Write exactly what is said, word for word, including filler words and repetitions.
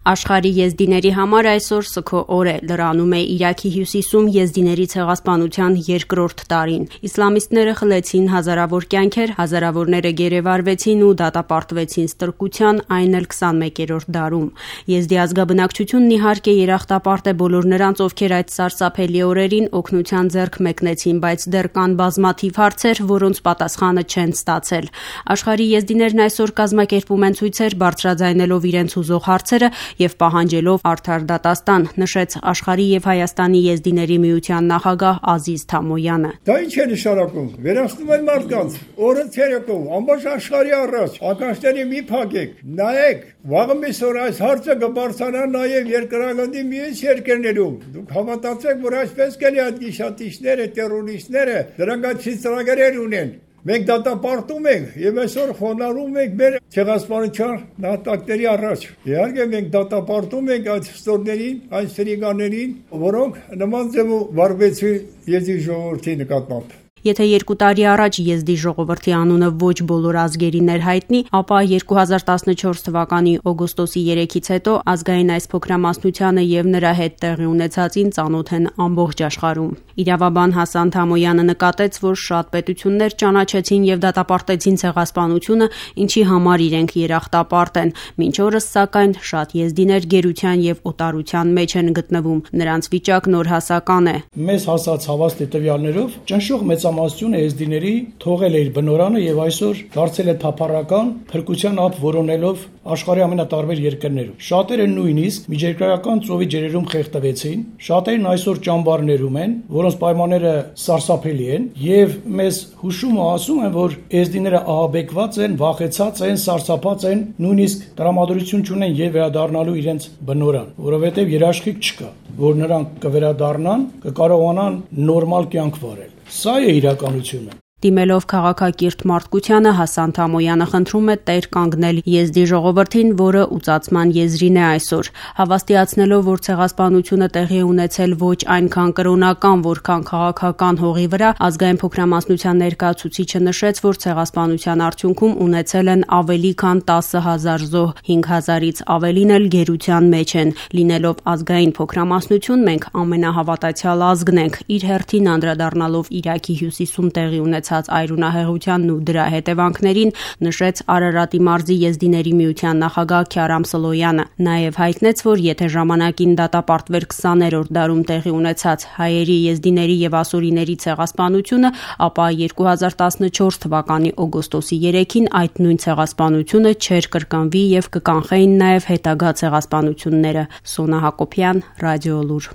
Աշխարհի եզդիների համար այսօր սգո օր է, լրանում է Իրաքի հյուսիսում եզդիների ցեղասպանության երկրորդ տարին։ Իսլամիստները խլեցին հազարավոր կյանքեր, հազարավորները գերեվարվեցին ու դատապարտվեցին ստրկության, այն էլ քսանմեկերորդ դարում։ Եզդի ազգաբնակչությունն իհարկե երախտապարտ է բոլոր նրանց, ովքեր այդ սարսափելի օրերին օգնության ձեռք մեկնեցին, բայց դեռ կան բազմաթիվ հարցեր, որոնց պատասխանը չեն ստացել։ Աշխարհի եզդիներն այսօր կազմակերպում են ցույցեր, բարձրաձայնելով իրենց հուզող հարցերը եւ պահանջելով արդար դատաստան, նշեց Աշխարհի եւ Հայաստանի եզդիների միության նախագահ Ազիզ Թամոյանը։ Դա ինչ է նշանակում։ Վերացնում են մարդկանց, օրը ցերեկով, ամբողջ աշխարհի առաջ, ականջների մի փակեք, նայեք, վաղը միսօր այս հարցը կբարձրանա նաեւ երկրագնդի մյուս երկրներում։ Դուք հավատացեք, որ այսպես կլի այդ գիշատիչները, տերորիստները դրանք այդ ծրագրեր ունեն։ Մենք դատապարտում ենք եւ այսօր խոնարհում ենք մեր ցեղասպանության նահատակների առաջ։ Իհարկե մենք դատապարտում ենք այդ ստորներին, այդ սրիգաներին, որոնք նման ձևով վարվեցին եզդի ժողովրդի նկատմամբ։ Եթե երկու տարի առաջ եզդի ժողովրդի անունը ոչ բոլոր ազգերին էր հայտնի, ապա երկու հազար տասնչորս թվականի օգոստոսի երեքից հետո ազգային այս փոքրամասնությանը եւ նրա հետ տեղի ունեցածին ծանոթ են ամբողջ աշխարհում։ Իրավաբան Հասան Թամոյանը նկատեց, որ շատ պետություններ ճանաչեցին եւ դատապարտեցին ցեղասպանությունը, ինչի համար իրենք երախտապարտ են։ Մինչ օրս, սակայն, շատ եզդիներ գերության եւ օտարության մեջ են գտնվում։ Նրանց վիճակն օրհասական է։ Մեզ հասած հավաստի տվյալներով ճնշող մեծամասնությունը եզդիների թողել է իր բնորանը եւ այսօր դարձել է թափառական փրկության ափ որոնելով աշխարհի ամենատարբեր երկրներում։ Շատերը նույնիսկ միջերկրական ծովի ջրերում խեղդվեցին, շատերն այսօր ճամբարներում են, որոնց պայմանները սարսափելի են եւ մեզ հուշում ու ասում են, որ եզդիները ահաբեկված են, վախեցած են, սարսափած են, նույնիսկ տրամադրություն չունեն եւ վերադառնալու իրենց բնորան, որովհետեւ երաշխիք չկա, որ նրանք կվերադառնան, կկարողանան նորմալ կյանք վարել։ Սա է իրականությունը։ Դիմելով քաղաքակիրթ մարդկությանը Հասան Թամոյանը խնդրում է տեր կանգնել եզդի ժողովրդին, որը ուծացման եզրին է այսօր, հավաստիացնելով, որ ցեղասպանությունը տեղի է ունեցել ոչ այնքան կրոնական, որքան քաղաքական հողի վրա, ազգային փոքրամասնության ներկայացուցիչը նշեց, որ ցեղասպանության արդյունքում ունեցել են ավելի քան տասը հազար զոհ, հինգ հազարից ավելին էլ գերության մեջ են։ Լինելով ազգային փոքրամասնություն, մենք ամենահավատացյալ ազգն ենք, իր հերթին անդրադառնալով Իրաքի հյուսիսում տեղի ունեցած այրունահեղությանն ու դրա հետևանքներին, նշեց Արարատի մարզի եզդիների միության նախագահ Քյարամ Սլոյանը։ Նաև հայտնեց, որ եթե ժամանակին դատապարտվեր քսաներորդ դարում տեղի ունեցած հայերի, եզդիների եւ ասորիների ցեղասպանությունը, ապա երկու հազար տասնչորս թվականի օգոստոսի երեքին այդ նույն ցեղասպանությունը չէր կրկնվի եւ կկանխեին նաև հետագա ցեղասպանությունները։ Սոնա Հակոբյան, Ռադիոլուր։